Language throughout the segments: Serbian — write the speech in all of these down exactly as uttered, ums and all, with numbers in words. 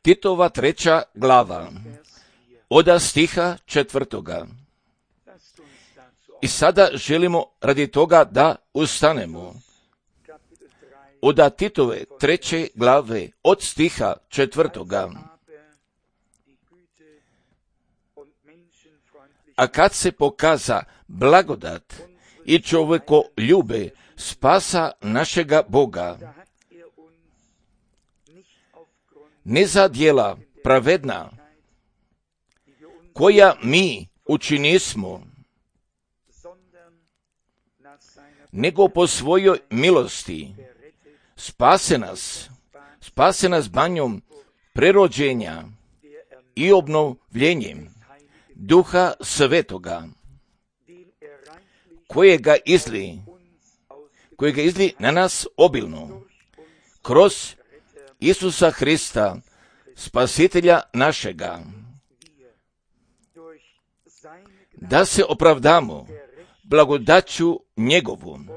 Titova treća glava, oda stiha četvrtoga. I sada želimo radi toga da ustanemo. Oda Titove treće glave, od stiha četvrtoga. A kad se pokaza blagodat i čovjeko ljube spasa našega Boga, ne za djela pravedna, koja mi učinismo, nego po svojoj milosti spase nas, spase nas banjom prerođenja i obnovljenjem Duha Svetoga, kojega izli, kojega izli na nas obilno, kroz Isusa Hrista, Spasitelja našega, da se opravdamo blagodaću njegovom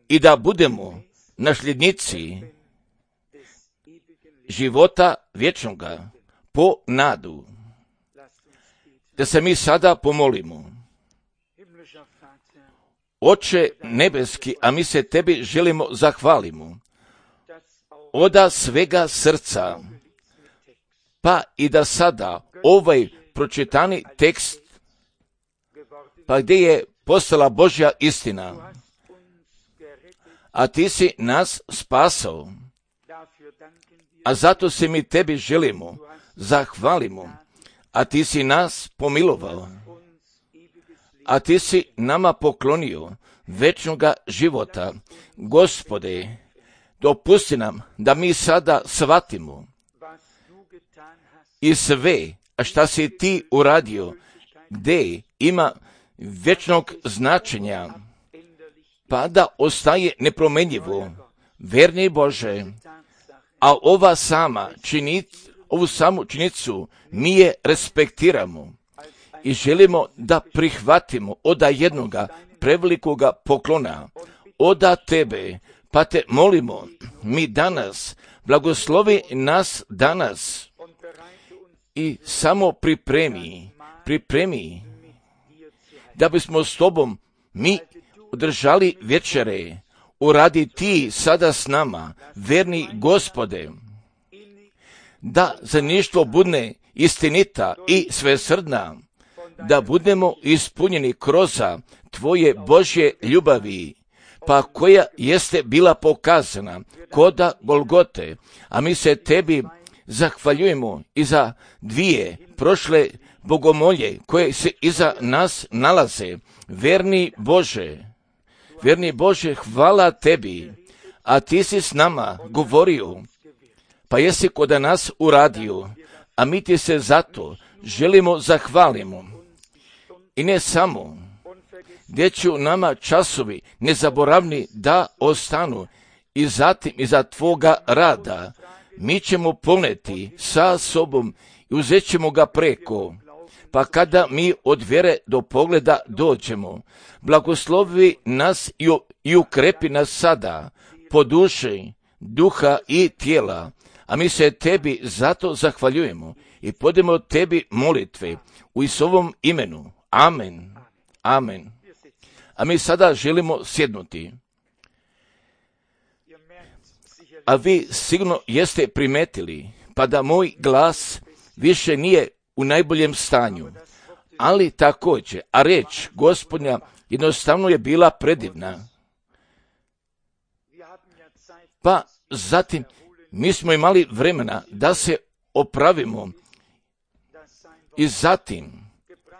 i da budemo nasljednici života vječnoga po nadu. Da se mi sada pomolimo. Oče nebeski, a mi se tebi želimo zahvalimo oda svega srca, pa i da sada ovaj pročitani tekst, pa gdje je postala Božja istina, a ti si nas spasao, a zato se mi tebi želimo zahvalimo, a ti si nas pomilovao, a ti si nama poklonio večnoga života. Gospode, dopusti nam da mi sada shvatimo i sve, a šta si ti uradio, gdje ima vječnog značenja, pa da ostaje nepromjenjivo, verni Bože, a ova sama činit, ovu samu činjenicu mi je respektiramo i želimo da prihvatimo oda jednoga prevelikoga poklona, oda tebe, pa te molimo, mi danas, blagoslovi nas danas i samo pripremi, pripremi, da bismo s tobom mi održali večere, uradi ti sada s nama, verni Gospode, da zaništvo budne istinita i svesrdna, da budemo ispunjeni kroz tvoje Božje ljubavi, pa koja jeste bila pokazana koda Golgote, a mi se tebi zahvaljujemo i za dvije prošle bogomolje koje se iza nas nalaze. Verni Bože, verni Bože, hvala tebi, a ti si s nama govorio, pa jesi koda nas uradio, a mi ti se zato želimo zahvalimo. I ne samo, gdje će nama časovi nezaboravni da ostanu i zatim iza tvoga rada, mi ćemo poneti sa sobom i uzet ćemo ga preko, pa kada mi od vjere do pogleda dođemo, blagoslovi nas i ukrepi nas sada po duši, duha i tijela, a mi se tebi zato zahvaljujemo i podemo tebi molitve u Isusovom imenu. Amen. Amen. A mi sada želimo sjednuti. A vi sigurno jeste primetili, pa da moj glas više nije u najboljem stanju, ali također, a reč Gospodnja jednostavno je bila predivna. Pa zatim mi smo imali vremena da se opravimo i zatim,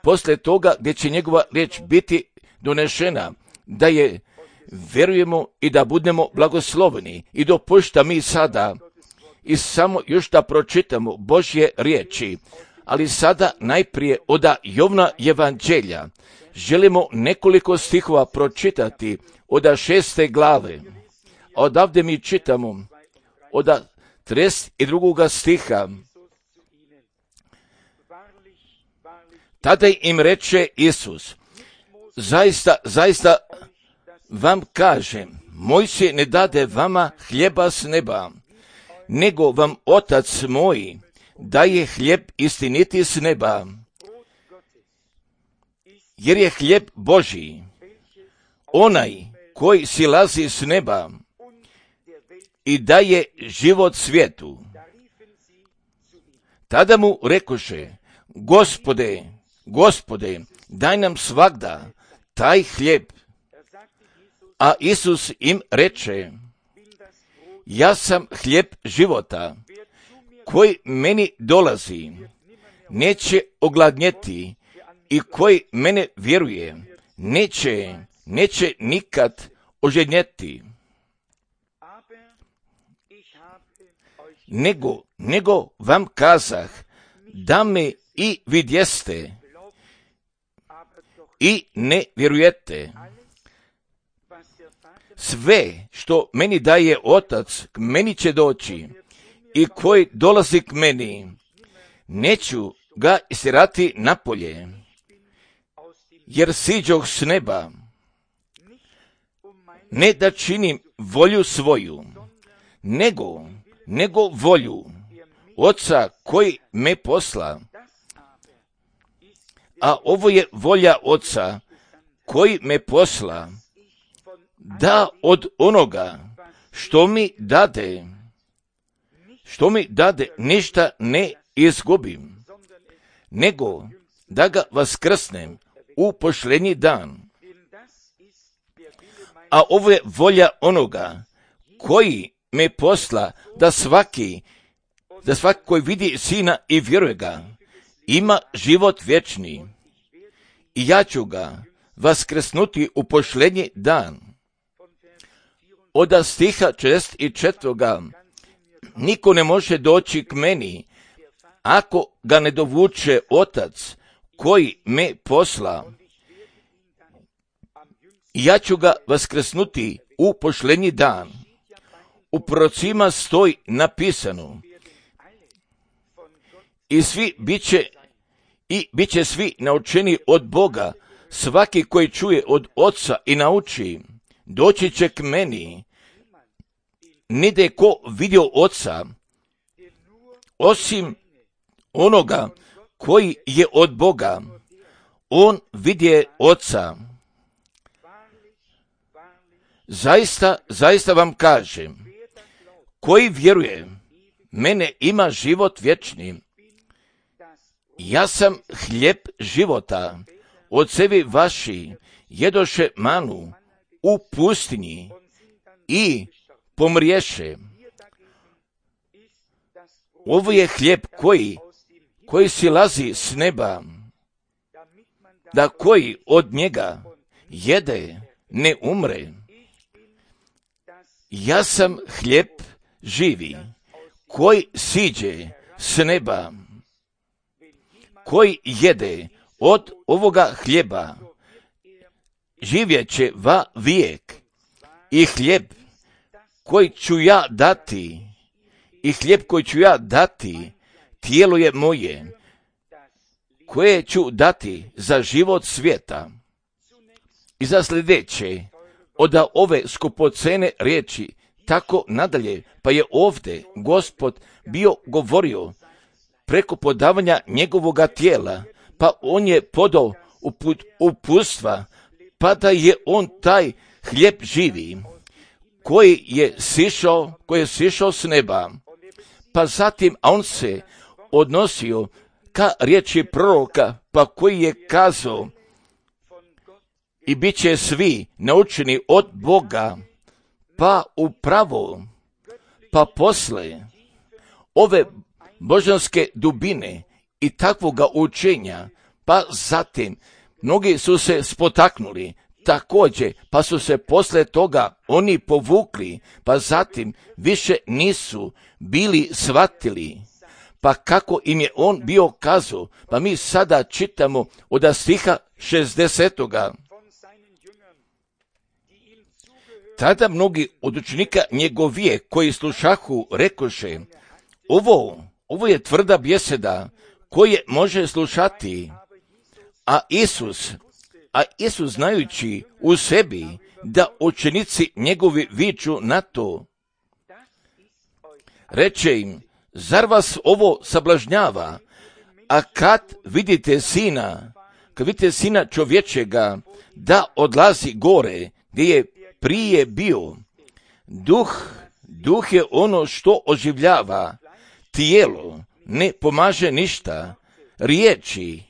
poslije toga gdje će njegova riječ biti donešena, da je vjerujemo i da budemo blagosloveni i dopušta mi sada i samo još da pročitamo Božje riječi, ali sada najprije oda Jovna evanđelja želimo nekoliko stihova pročitati oda šeste glave. Odavde mi čitamo oda trideset drugoga stiha. Tada im reče Isus, zaista, zaista vam kažem, moj se ne dade vama hljeba s neba, nego vam Otac moj daje hljeb istiniti s neba, jer je hljeb Božji, onaj koji silazi s neba i daje život svijetu. Tada mu rekoše, Gospode, Gospode, daj nam svagda taj hljeb. A Isus im reče, ja sam hljeb života, koji meni dolazi, neće ogladnjeti, i koji mene vjeruje, neće, neće nikad ožednjeti. Nego, nego vam kazah, da me i vidjeste i ne vjerujete. Sve što meni daje Otac, k meni će doći, i koji dolazi k meni, neću ga istirati napolje, jer siđoh s neba, ne da činim volju svoju, nego, nego volju Oca koji me posla. A ovo je volja Oca koji me posla, da od onoga što mi dade, što mi dade ništa ne izgubim, nego da ga vaskrsnem u pošljenji dan. A ovo je volja onoga koji me posla, da svaki, da svaki koji vidi Sina i vjeruje ga, ima život vječni. I ja ću ga vaskrsnuti u pošljenji dan. Od stiha četrdeset četvrtoga niko ne može doći k meni, ako ga ne dovuče Otac koji me posla. Ja ću ga vaskrsnuti u pošljenji dan. U prorocima stoji napisano, i svi biće, i bit će svi naučeni od Boga, svaki koji čuje od Oca i nauči, doći će k meni. Nide ko vidio Oca, osim onoga koji je od Boga, on vidje Oca. Zaista, zaista vam kažem, koji vjeruje, mene ima život vječni. Ja sam hljeb života, ocevi vaši jedoše manu u pustinji i pomriješe. Ovo je hljeb koji, koji silazi s neba, da koji od njega jede ne umre. Ja sam hljeb živi, koji siđe s neba, koji jede od ovoga hljeba, živjet će va vijek. I hljeb koji ću ja dati, i hljeb koji ću ja dati, tijelo je moje, koje ću dati za život svijeta. I za sljedeće, od ove skupocene riječi, tako nadalje, pa je ovdje Gospod bio govorio preko podavanja njegovoga tijela, pa on je podao uput, uputstva, pa da je on taj hljeb živi, koji je sišao, koji je sišao s neba, pa zatim on se odnosio ka riječi proroka, pa koji je kazao, i bit će svi naučeni od Boga, pa upravo, pa posle ove božanske dubine i takvoga učenja, pa zatim mnogi su se spotaknuli, također, pa su se posle toga oni povukli, pa zatim više nisu bili shvatili. Pa kako im je on bio kazao, pa mi sada čitamo od stiha šezdesetoga. Tada mnogi od učenika njegovije koji slušahu rekoše, ovo, ovo je tvrda bjeseda koje može slušati. A Isus, A Isus znajući u sebi da učenici njegovi viču na to, reče im, zar vas ovo sablažnjava? A kad vidite sina, kad vidite sina čovječega da odlazi gore gdje je prije bio, duh, duh je ono što oživljava, tijelo ne pomaže ništa, riječi,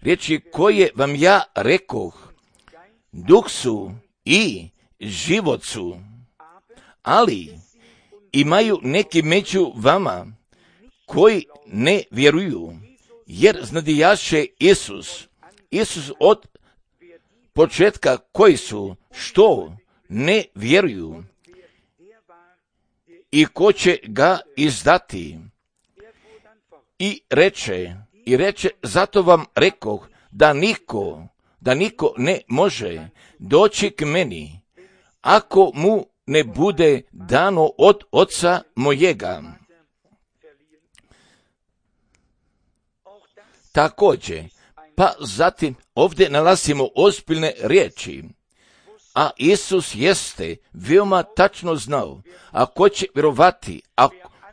riječi koje vam ja rekoh, duh su i život su, ali imaju neki među vama koji ne vjeruju, jer znadijaše Isus, Isus od početka koji su, što ne vjeruju i ko će ga izdati. I reče, i reče, zato vam rekoh da niko, da niko ne može doći k meni, ako mu ne bude dano od oca mojega. Također, pa zatim ovdje nalazimo ozbiljne riječi, a Isus jeste veoma tačno znao, a ko će vjerovati, a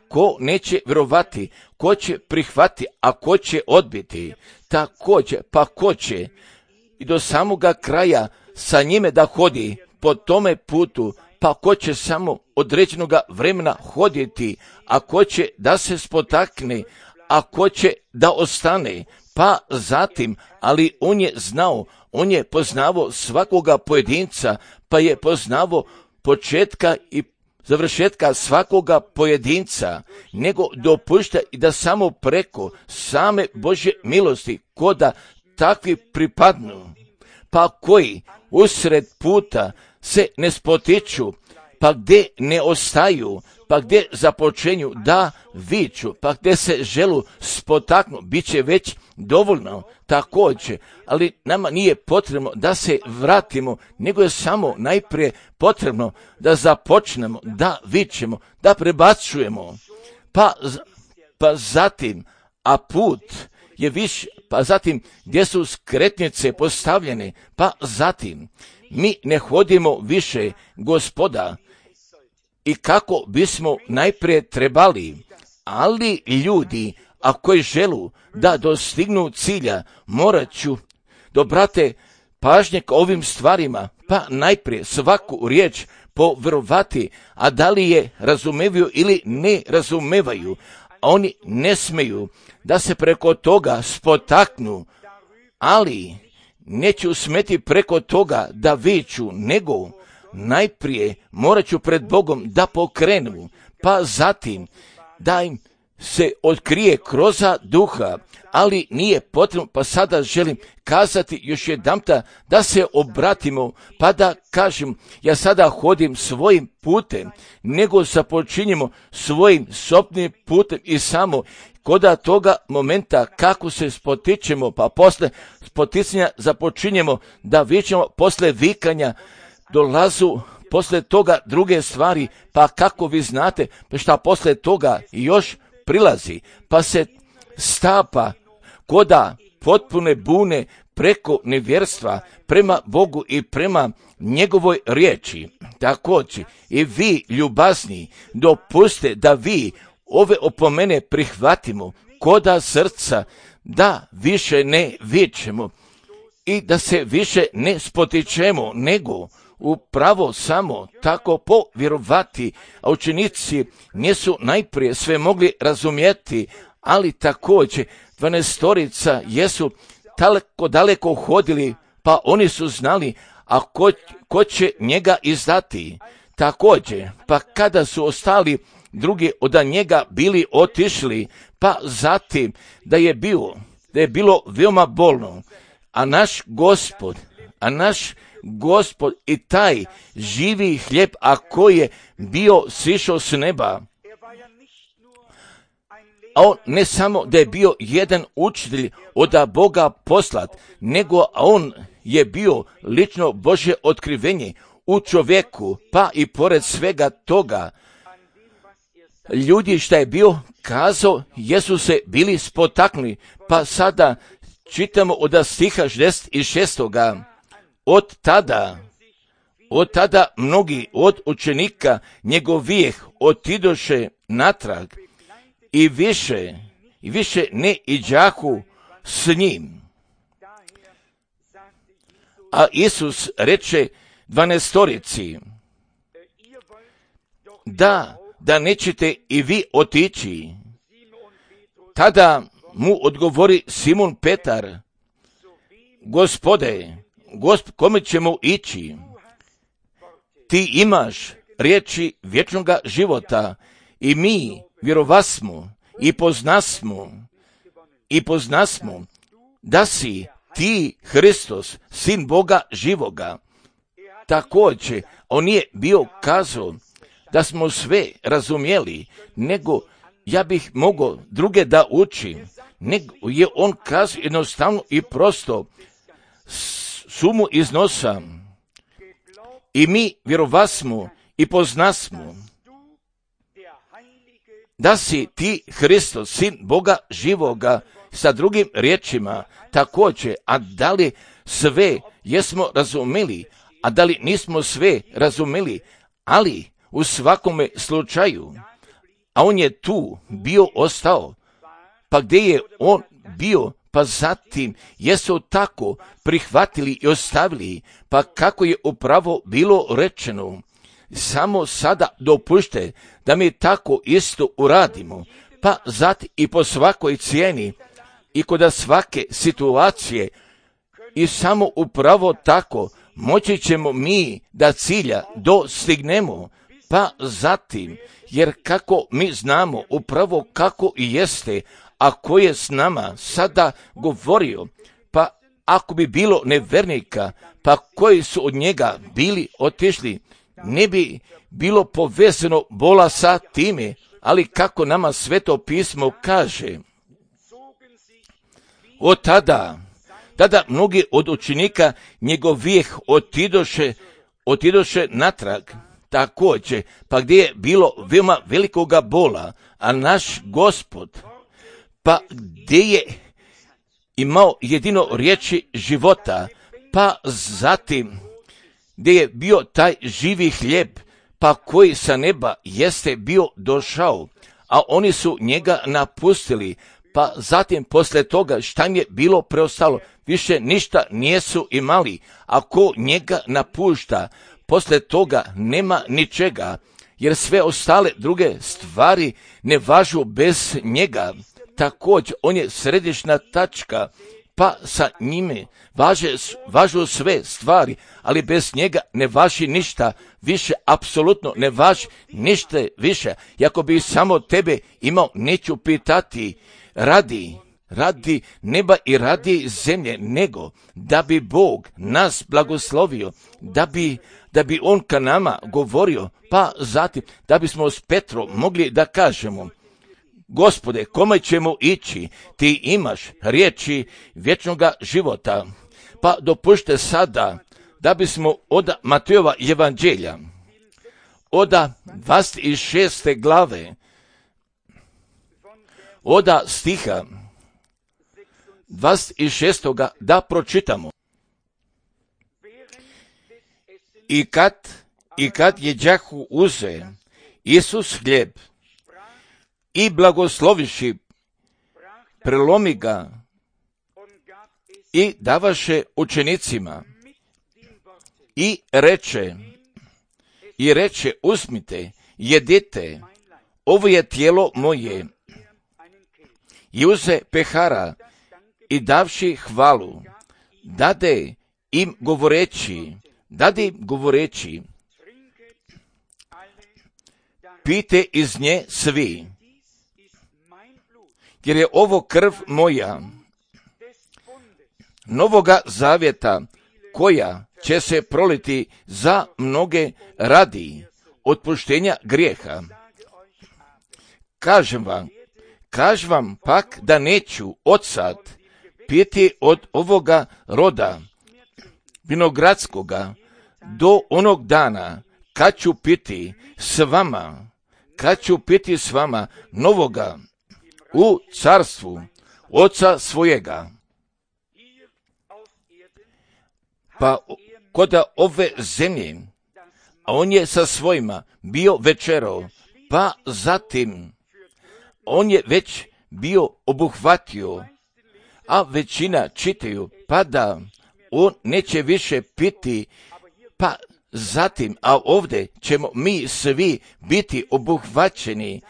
ko neće vjerovati, ko će prihvati, a ko će odbiti, također, pa ko će i do samoga kraja sa njime da hodi po tome putu, pa ko će samo određenog vremena hoditi, a ko će da se spotakne, a ko će da ostane, pa zatim, ali on je znao, on je poznavao svakoga pojedinca, pa je poznavao početka i završetka svakoga pojedinca, nego dopušta i da samo preko same Božje milosti, koda takvi pripadnu, pa koji usred puta se ne spotiču, pa gdje ne ostaju, pa gdje započenju da viču, pa gdje se želu spotaknu, bit će već dovoljno također, ali nama nije potrebno da se vratimo, nego je samo najprije potrebno da započnemo, da vičemo, da prebacujemo, pa, pa zatim, a put je više, pa zatim gdje su skretnice postavljene, pa zatim mi ne hodimo više Gospoda i kako bismo najprije trebali, ali ljudi, a koji želu da dostignu cilja, morat ću dobrate pažnje k ovim stvarima, pa najprije svaku riječ povjerovati, a da li je razumevaju ili ne razumevaju, a oni ne smeju da se preko toga spotaknu, ali neću smeti preko toga da viču, nego najprije morat ću pred Bogom da pokrenu, pa zatim da im se otkrije kroz duha, ali nije potrebno, pa sada želim kazati još jedanputa da se obratimo, pa da kažem, ja sada hodim svojim putem, nego započinjemo svojim sobnim putem i samo koda toga momenta kako se spotičemo, pa posle spoticanja započinjemo da vičemo, posle vikanja dolazu posle toga druge stvari, pa kako vi znate, pa šta posle toga još prilazi, pa se stapa koda potpune bune preko nevjerstva prema Bogu i prema njegovoj riječi. Također i vi ljubazni dopuste da vi ove opomene prihvatimo koda srca, da više ne vičemo i da se više ne spotičemo, nego upravo samo tako povjerovati, a učenici nisu najprije sve mogli razumjeti, ali također dvanaestorica jesu tako daleko hodili, pa oni su znali, a ko, ko će njega izdati. Također, pa kada su ostali drugi od njega bili otišli, pa zatim da je bilo, da je bilo veoma bolno, a naš Gospod, a naš Gospod i taj živi hljeb, a koji je bio sišao s neba, a on ne samo da je bio jedan učitelj od Boga poslat, nego on je bio lično Božje otkrivenje u čovjeku, pa i pored svega toga, ljudi šta je bio kazao, jesu se bili spotaknuli, pa sada čitamo od stiha šezdeset šestoga od tada, od tada mnogi od učenika njegovijeh otidoše natrag i više, i više ne iđahu s njim. A Isus reče dvanaestorici, da, da nećete i vi otići. Tada mu odgovori Simon Petar, Gospode, gosp, kome ćemo ići? Ti imaš riječi vječnoga života i mi vjerovasmo i poznasmo i poznasmo da si ti Hristos, sin Boga živoga. Također, on nije bio kazao da smo sve razumjeli, nego ja bih mogao druge da učim, nego je on kazao jednostavno i prosto sumu iznosa. I mi vjerovasmo i poznasmo da si ti Hristos, sin Boga živoga, sa drugim riječima također, a da li sve jesmo razumeli, a da li nismo sve razumeli, ali u svakome slučaju, a on je tu bio ostao, pa gdje je on bio, pa zatim jesu tako prihvatili i ostavili, pa kako je upravo bilo rečeno, samo sada dopušte da mi tako isto uradimo, pa zatim i po svakoj cijeni i kod svake situacije i samo upravo tako moći ćemo mi da cilja dostignemo, pa zatim, jer kako mi znamo upravo kako i jeste, a ko je s nama sada govorio, pa ako bi bilo nevernika, pa koji su od njega bili otišli, ne bi bilo povezano bola sa time, ali kako nama Sveto pismo kaže, od tada, tada mnogi od učenika njegovih otidoše, otidoše natrag, također, pa gdje je bilo veoma velikoga bola, a naš Gospod, pa gdje je imao jedino riječi života, pa zatim gdje je bio taj živi hljeb, pa koji sa neba jeste bio došao, a oni su njega napustili, pa zatim poslije toga šta im je bilo preostalo, više ništa nijesu imali, a ko njega napušta, poslije toga nema ničega, jer sve ostale druge stvari ne važu bez njega. Također, on je središnja tačka, pa sa njime važe, važu sve stvari, ali bez njega ne važi ništa više, apsolutno ne važi ništa više. I ako bi samo tebe imao, neću pitati radi, radi neba i radi zemlje, nego da bi Bog nas blagoslovio, da bi, da bi on ka nama govorio, pa zatim da bismo s Petrom mogli da kažemo, Gospode, kome ćemo ići? Ti imaš riječi vječnoga života. Pa dopušte sada da bismo od Matejova evanđelja, od dvadeset šeste glave, od stiha dvadeset šestoga da pročitamo. I kad, i kad jeđahu uze Isus hljeb i blagosloviši, prelomi ga i davaše učenicima i reče, i reče, uzmite, jedite, ovo je tijelo moje. I uze pehara i davši hvalu, dade im govoreći, dade im govoreći, pijte iz nje svi, jer je ovo krv moja, novoga zavjeta, koja će se proliti za mnoge radi otpuštenja grijeha. Kažem vam, kažem vam pak da neću odsad piti od ovoga roda vinogradskoga do onog dana kad ću piti s vama, kad ću piti s vama novoga u carstvu Oca svojega. Pa kod ove zemlje, a on je sa svojima bio večerao, pa zatim on je već bio obuhvatio, a većina čitaju, pa da on neće više piti, pa zatim, a ovdje ćemo mi svi biti obuhvaćeni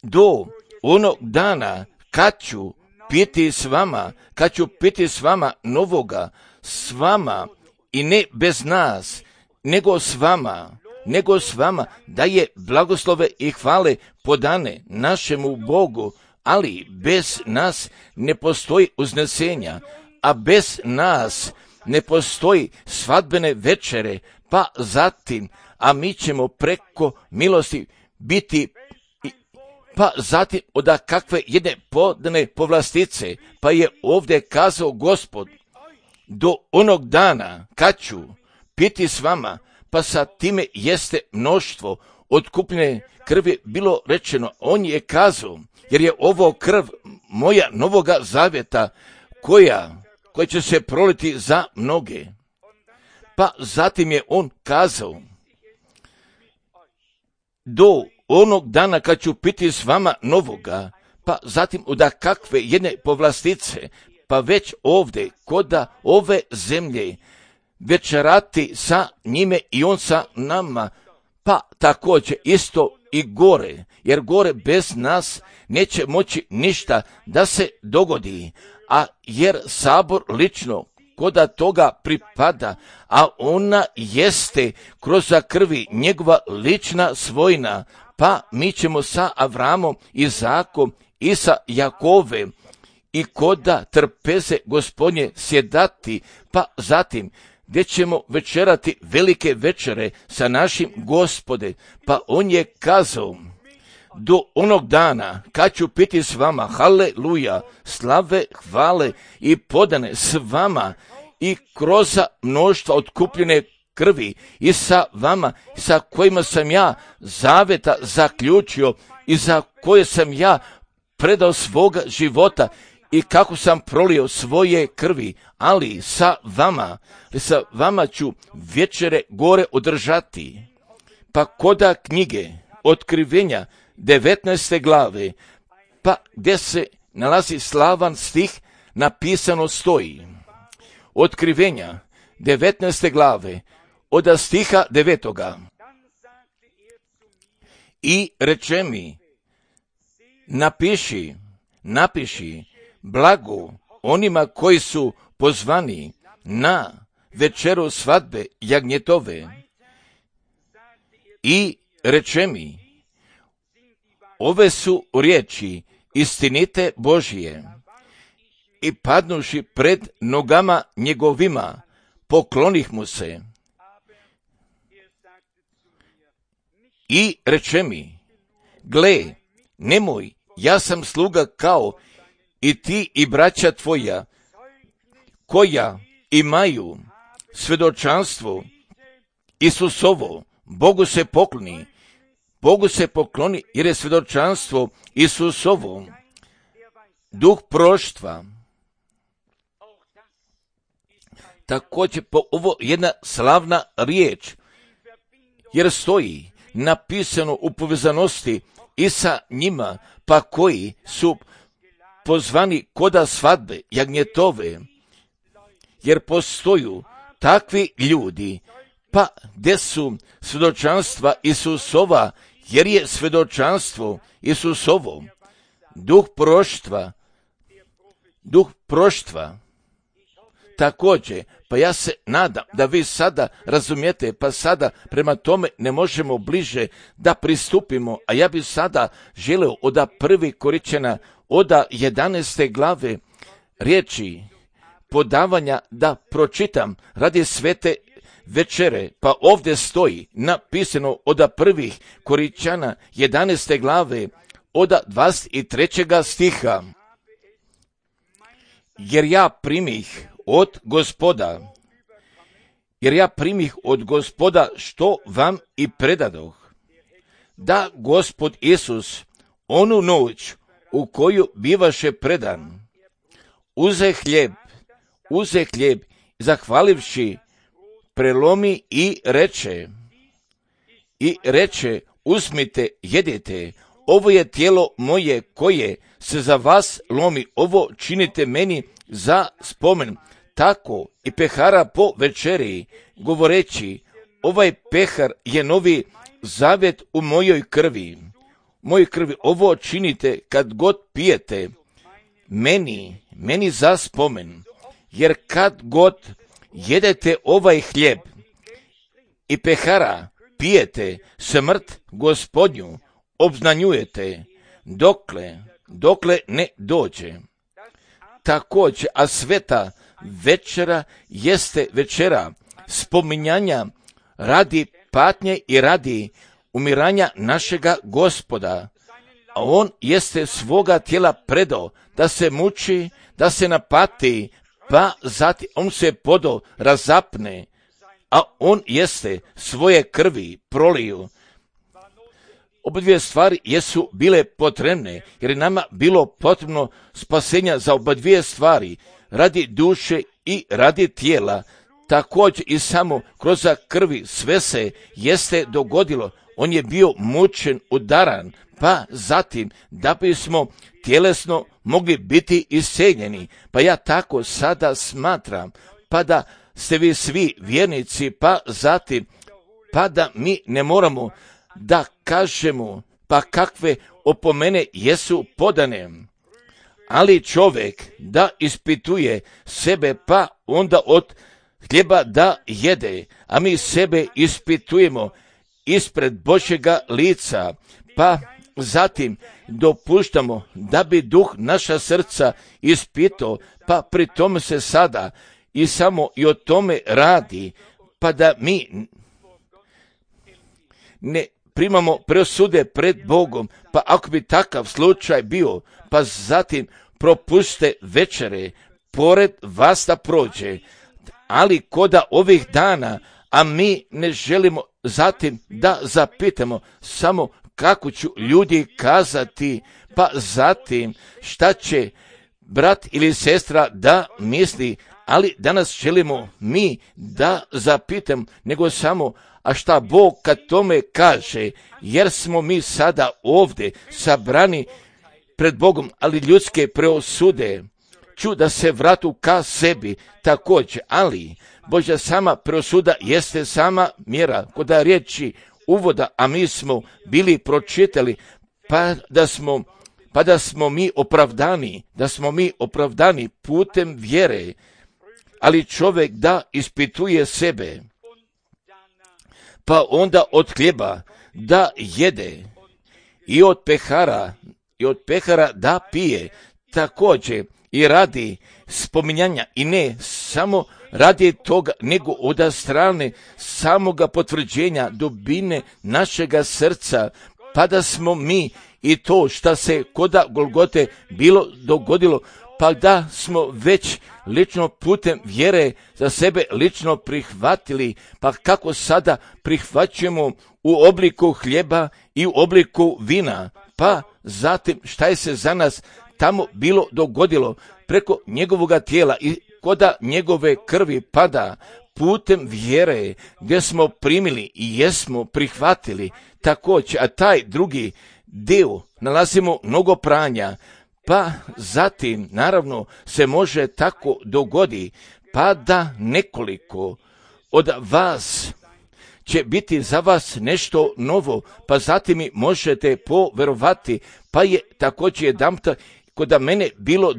do onog dana kad ću piti s vama, kad ću piti s vama novoga, s vama i ne bez nas, nego s vama, nego s vama, da je blagoslove i hvale podane našemu Bogu, ali bez nas ne postoji uznesenja, a bez nas ne postoji svadbene večere, pa zatim, a mi ćemo preko milosti biti, pa zatim od kakve jedne podane povlastice, pa je ovdje kazao Gospod, do onog dana kad ću piti s vama, pa sa time jeste mnoštvo otkupljene krvi bilo rečeno, on je kazao, jer je ovo krv moja novoga zavjeta, koja, koja će se proliti za mnoge. Pa zatim je on kazao, do onog dana kad ću piti s vama novoga, pa zatim od kakve jedne povlastice, pa već ovdje, koda ove zemlje, večerati sa njime i on sa nama, pa također isto i gore, jer gore bez nas neće moći ništa da se dogodi, a jer sabor lično koda toga pripada, a ona jeste kroz krvi njegova lična svojina, pa mi ćemo sa Avramom, Izakom i sa Jakovem i koda trpeze Gospodnje sjedati, pa zatim gdje ćemo večerati velike večere sa našim Gospode, pa on je kazao, do onog dana kad ću piti s vama, haleluja, slave, hvale i podane s vama i kroz mnoštva otkupljene krvi i sa vama, sa kojima sam ja zaveta zaključio i za koje sam ja predao svoga života i kako sam prolio svoje krvi, ali sa vama, sa vama ću večere gore održati. Pa koda knjige Otkrivenja devetnaeste glave, pa gdje se nalazi slavan stih, napisano stoji. Otkrivenja devetnaeste glave, od stiha devetoga. I reče mi, napiši, napiši, blago onima koji su pozvani na večeru svadbe jagnjetove. I reče mi, ove su riječi istinite Božije. I padnuši pred nogama njegovima, poklonih mu se. I reče mi, gle, nemoj, ja sam sluga kao i ti i braća tvoja, koja imaju svjedočanstvo Isusovo, Bogu se pokloni, Bogu se pokloni jer je svjedočanstvo Isusovo, duh proštva. Također po ovo jedna slavna riječ, jer stoji napisano u povezanosti i sa njima, pa koji su pozvani koda svadbe jagnjetove, jer postoju takvi ljudi, pa gdje su svjedočanstva Isusova, jer je svjedočanstvo Isusovo, duh proštva, duh proštva. Također, pa ja se nadam da vi sada razumijete, pa sada prema tome ne možemo bliže da pristupimo, a ja bih sada želio od prvi Koričana, od jedanaeste glave riječi podavanja da pročitam radi svete večere, pa ovdje stoji napisano od prvih Koričana jedanaeste glave od dvadeset trećega stiha. Jer ja primih od Gospoda, jer ja primih od Gospoda što vam i predadoh, da Gospod Isus onu noć u koju bivaše predan, uze hljeb, uze hljeb, zahvalivši, prelomi i reče, i reče, uzmite, jedite, ovo je tijelo moje koje se za vas lomi, ovo činite meni za spomen. Tako i pehara po večeri, govoreći, ovaj pehar je novi zavjet u mojoj krvi. Mojoj krvi ovo činite kad god pijete, meni, meni za spomen. Jer kad god jedete ovaj hljeb i pehara pijete, smrt Gospodnju obznanjujete, dokle, dokle ne dođe. Također, a sveta večera jeste večera spominjanja radi patnje i radi umiranja našega Gospoda, a on jeste svoga tijela predao da se muči, da se napati, pa zatim on se podo razapne, a on jeste svoje krvi proliju. Oba dvije stvari jesu bile potrebne, jer je nama bilo potrebno spasenja za oba dvije stvari, radi duše i radi tijela. Također i samo kroz krvi sve se jeste dogodilo. On je bio mučen, udaran, pa zatim da bismo tjelesno mogli biti isceljeni. Pa ja tako sada smatram, pa da ste vi svi vjernici, pa zatim, pa da mi ne moramo da kažemo, pa kakve opomene jesu podane. Ali čovjek da ispituje sebe, pa onda od hljeba da jede, a mi sebe ispitujemo ispred Božjega lica, pa zatim dopuštamo da bi duh naša srca ispitao, pa pri tome se sada i samo i o tome radi, pa da mi ne primamo presude pred Bogom, pa ako bi takav slučaj bio, pa zatim propuste večere, pored vas da prođe, ali koda ovih dana, a mi ne želimo zatim da zapitamo samo kako ću ljudi kazati, pa zatim šta će brat ili sestra da misli, ali danas želimo mi da zapitam, nego samo a šta Bog kad tome kaže, jer smo mi sada ovdje sabrani pred Bogom, ali ljudske preosude ću da se vratu ka sebi također, ali Božja sama preosuda jeste sama mjera, koda riječi uvoda, a mi smo bili pročitali, pa da smo, pa da smo mi opravdani, da smo mi opravdani putem vjere, ali čovjek da ispituje sebe, pa onda od hljeba da jede i od pehara, i od pehara da pije, također i radi spominjanja i ne samo radi toga, nego od strane samoga potvrđenja dubine našega srca, pa da smo mi i to šta se koda Golgote bilo dogodilo, pa da smo već lično putem vjere za sebe lično prihvatili, pa kako sada prihvaćujemo u obliku hljeba i u obliku vina, pa zatim šta je se za nas tamo bilo dogodilo preko njegovoga tijela i koda njegove krvi pada putem vjere gdje smo primili i jesmo prihvatili također, a taj drugi dio nalazimo mnogo pranja, pa zatim naravno se može tako dogodi, pa da nekoliko od vas će biti za vas nešto novo, pa zatim i možete poverovati, pa je također jedanputa kod mene bilo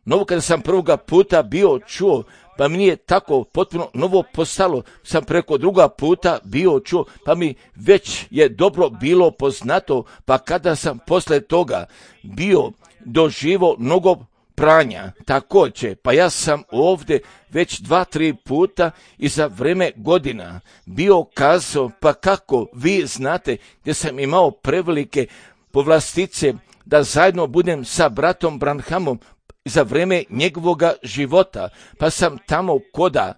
novo kada sam prvoga puta bio čuo, pa mi nije tako potpuno novo postalo, sam preko druga puta bio čuo, pa mi već je dobro bilo poznato, pa kada sam posle toga bio doživo mnogo pranja, također, pa ja sam ovdje već dva, tri puta i za vreme godina bio kazao, pa kako vi znate gdje sam imao prevelike povlastice da zajedno budem sa bratom Branhamom za vreme njegovoga života, pa sam tamo koda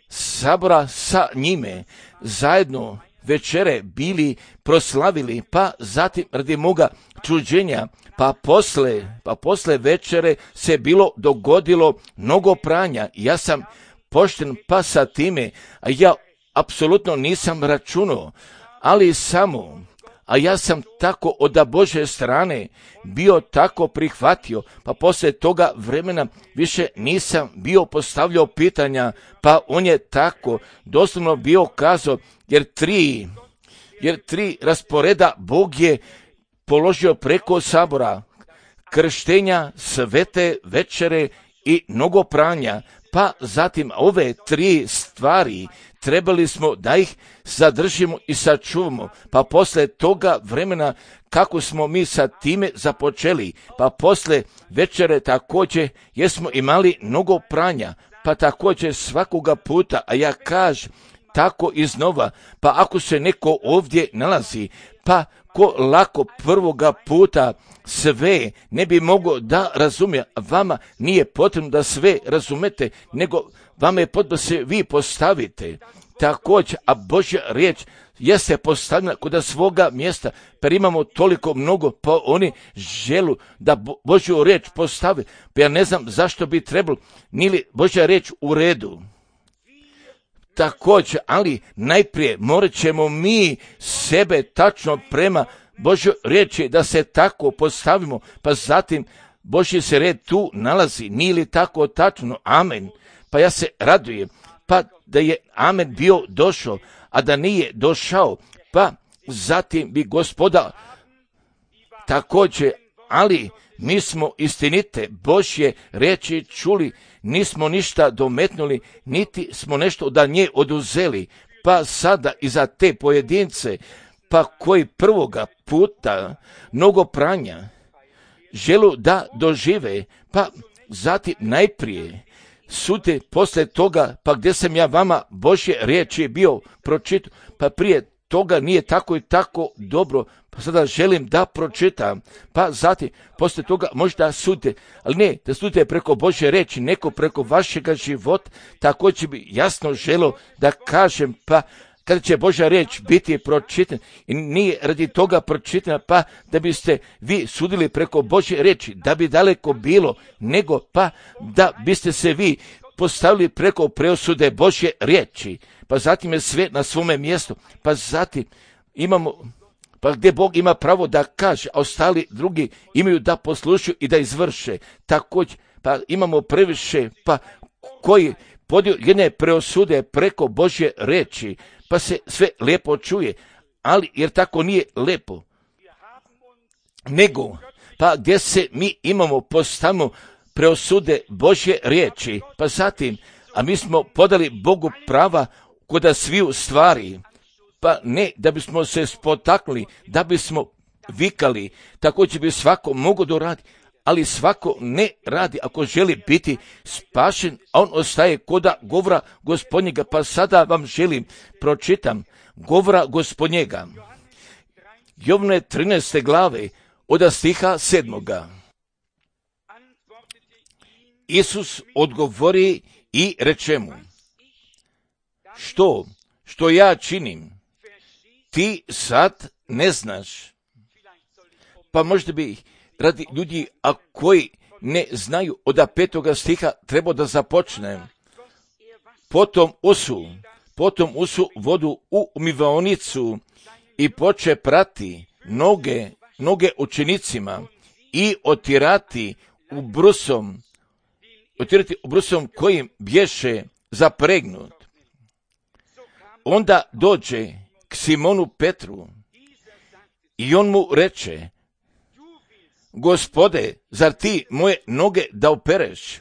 sabora sa njime zajedno večere bili proslavili, pa zatim radi moga čuđenja, pa posle, pa posle večere se bilo dogodilo mnogo pranja. Ja sam pošten pa sa time, a ja apsolutno nisam računao, ali samo, a ja sam tako od Božje strane bio tako prihvatio, pa poslije toga vremena više nisam bio postavljao pitanja, pa on je tako doslovno bio kazao, jer tri, jer tri rasporeda Bog je položio preko sabora, krštenja, svete večere i mnogo pranja, pa zatim ove tri stvari trebali smo da ih zadržimo i sačuvamo, pa posle toga vremena kako smo mi sa time započeli, pa posle večere također jesmo imali mnogo pranja, pa također svakoga puta, a ja kažem tako iznova, pa ako se neko ovdje nalazi, pa ko lako prvoga puta sve ne bi mogao da razumije, vama nije potrebno da sve razumete, nego vama je potrebno da se vi postavite. Također, a Božja riječ jeste postavljena kod svoga mjesta, pa imamo toliko mnogo, pa oni želu da Božju riječ postave, pa ja ne znam zašto bi trebalo, nije li Božja riječ u redu. Također, ali najprije morat ćemo mi sebe tačno prema Božjoj riječi da se tako postavimo, pa zatim Božji se red tu nalazi, nije li tako tačno? Amen. Pa ja se radujem, pa da je amen bio došao, a da nije došao, pa zatim bi Gospoda također, ali mi smo istinite Božje riječi čuli, nismo ništa dometnuli, niti smo nešto da nje oduzeli, pa sada i za te pojedince, pa koji prvoga puta mnogo pranja želu da dožive, pa zatim najprije sude posle toga, pa gdje sam ja vama Božje riječi bio pročitao, pa prije toga nije tako i tako dobro, pa sada želim da pročitam, pa zatim posle toga možda sudite, ali ne da sudite preko Božje riječi, neko preko vašega života, također bi jasno želio da kažem, pa kada će Božja riječ biti pročitana i nije radi toga pročitana, pa da biste vi sudili preko Božje riječi, da bi daleko bilo, nego pa da biste se vi postavili preko preosude Božje riječi, pa zatim je sve na svome mjestu, pa zatim imamo, pa gdje Bog ima pravo da kaže, a ostali drugi imaju da poslušaju i da izvrše. Također, pa imamo previše, pa koji podio jedne preosude preko Božje riječi, pa se sve lijepo čuje, ali jer tako nije lijepo. Nego, pa gdje se mi imamo postavimo preosude Božje riječi, pa zatim, a mi smo podali Bogu prava kod sviju stvari, pa ne da bismo se spotaknuli, da bismo vikali, također bi svako mogo doraditi, ali svako ne radi ako želi biti spašen, a on ostaje koda govora Gospodnjega, pa sada vam želim, pročitam govora Gospodnjega. Jovne trinaeste glave, od stiha sedmoga. Isus odgovori i reče mu, što, što ja činim, ti sad ne znaš. Pa možda bi radi ljudi, a koji ne znaju, od petoga stiha treba da započnem. Potom usu, potom usu vodu u umivaonicu i poče prati noge, noge učenicima i otirati u brusom, otirati u brusom kojim bješe zapregnut. Onda dođe k Simonu Petru i on mu reče, Gospode, zar ti moje noge da opereš?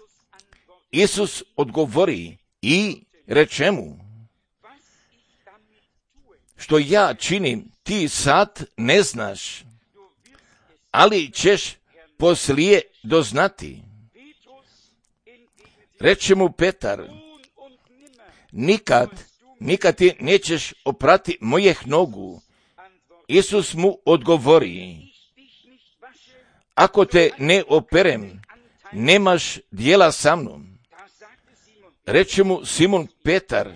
Isus odgovori i reče mu, što ja činim, ti sad ne znaš, ali ćeš poslije doznati. Reče mu Petar, nikad, nikad ti nećeš oprati mojih nogu. Isus mu odgovori, ako te ne operem, nemaš dijela sa mnom. Reče mu Simon Petar,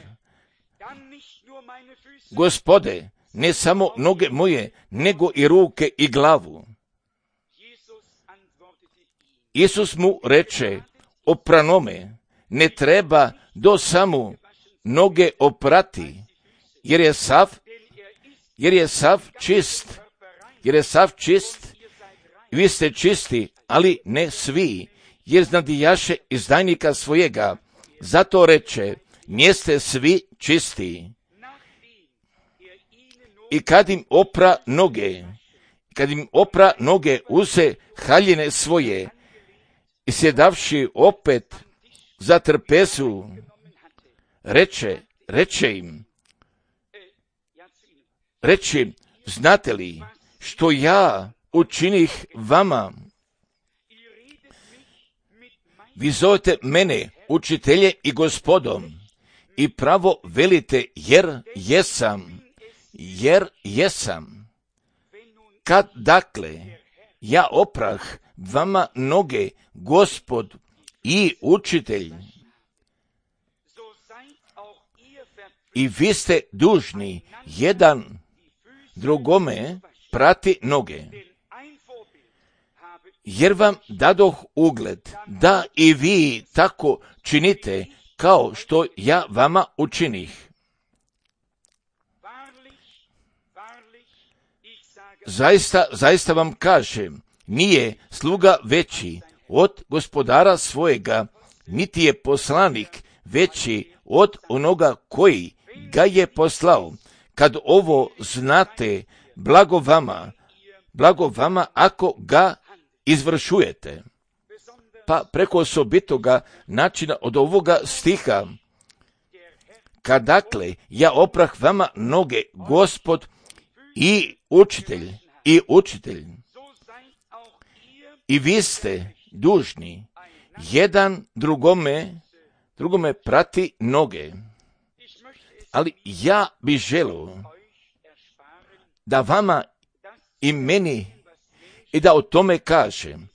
Gospode, ne samo noge moje, nego i ruke i glavu. Isus mu reče, opranome, ne treba do samo noge oprati, jer je sav, jer je sav čist, jer je sav čist, vi ste čisti, ali ne svi, jer znadijaše izdajnika svojega, zato reče, njeste svi čisti. I kad im opra noge, kad im opra noge, uze haljine svoje, i sjedavši opet za trpezu, reče, reče im, reče, znate li što ja učinih vama? Vi zovete mene učitelje i gospodom i pravo velite jer jesam, jer jesam. Kad dakle ja oprah vama noge, Gospod i učitelj, i vi ste dužni jedan drugome prati noge, jer vam dadoh ugled da i vi tako činite kao što ja vama učinih. Zaista, zaista vam kažem, nije sluga veći od gospodara svojega, niti je poslanik veći od onoga koji ga je poslao. Kad ovo znate, blago vama, blago vama ako ga izvršujete. Pa preko osobitoga načina od ovoga stiha, kad dakle ja oprah vama noge, Gospod i učitelj, i učitelj, i vi ste dužni jedan drugome, drugome prati noge. Ali ja bih želio da vama i meni i da o tome kažem.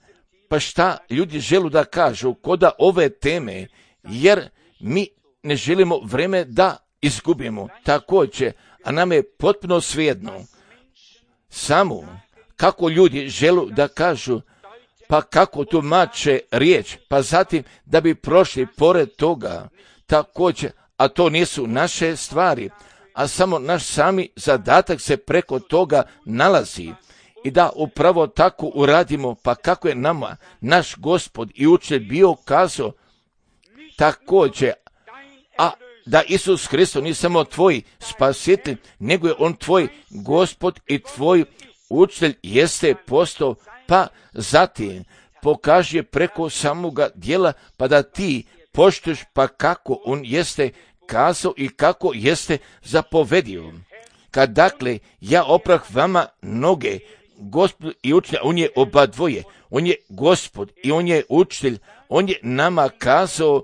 Pa šta ljudi žele da kažu koda ove teme, jer mi ne želimo vreme da izgubimo. Također, a nam je potpuno svejedno. Samo kako ljudi žele da kažu, pa kako tumače riječ, pa zatim da bi prošli pored toga. Također, a to nisu naše stvari, a samo naš sami zadatak se preko toga nalazi. I da upravo tako uradimo, pa kako je nama naš Gospod i učitelj bio kazao, također, a da Isus Hristos nije samo tvoj spasitelj, nego je on tvoj Gospod i tvoj učitelj jeste postao, pa zatim pokaže preko samoga djela, pa da ti poštuješ, pa kako on jeste kazao i kako jeste zapovedio. Kad dakle ja oprah vama noge, Gospod i učitelj, on je oba dvoje, on je Gospod i on je učitelj, on je nama kazao,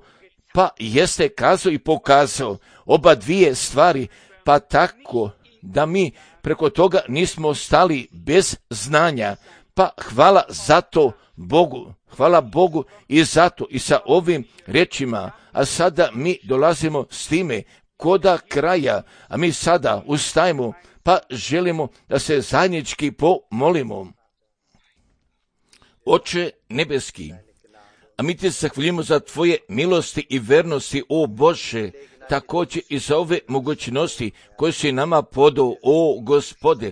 pa jeste kazao i pokazao oba dvije stvari, pa tako da mi preko toga nismo stali bez znanja, pa hvala za to Bogu, hvala Bogu i zato i sa ovim rečima, a sada mi dolazimo s time koda kraja, a mi sada ustajemo, pa želimo da se zajednički pomolimo. Oče nebeski, a mi ti zahvaljujemo za tvoje milosti i vernosti, o Bože, također i za ove mogućnosti koje si nama podao, o Gospode,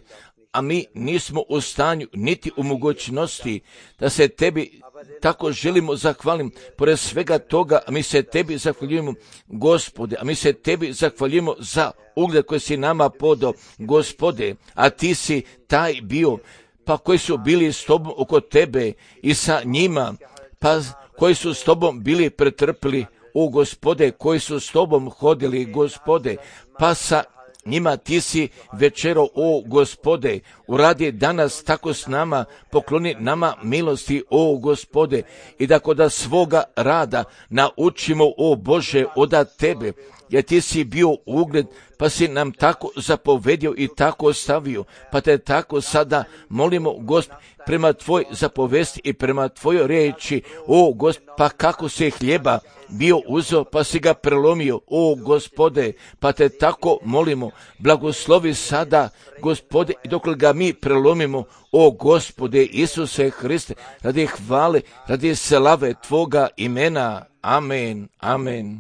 a mi nismo u stanju niti u mogućnosti da se tebi tako želimo zahvalim. Pored svega toga, a mi se tebi zahvaljujemo, Gospode, a mi se tebi zahvaljujemo za ugled koji si nama podao, Gospode, a ti si taj bio, pa koji su bili s tobom oko tebe i sa njima, pa koji su s tobom bili pretrpili, o Gospode, koji su s tobom hodili, Gospode, pa sa njima ti si večero, o Gospode, uradi danas tako s nama, pokloni nama milosti, o Gospode, i da koda svoga rada naučimo, o Bože, od tebe, jer ti si bio ugled, pa si nam tako zapovedio i tako ostavio, pa te tako sada molimo, Gospod, prema tvoj zapovesti i prema tvojoj riječi, o Gospod, pa kako se hljeba bio uzeo, pa si ga prelomio, o Gospode, pa te tako molimo, blagoslovi sada, Gospode, i dok ga mi prelomimo, o Gospode Isuse Hriste, radi hvale, radi slave tvoga imena, amen, amen.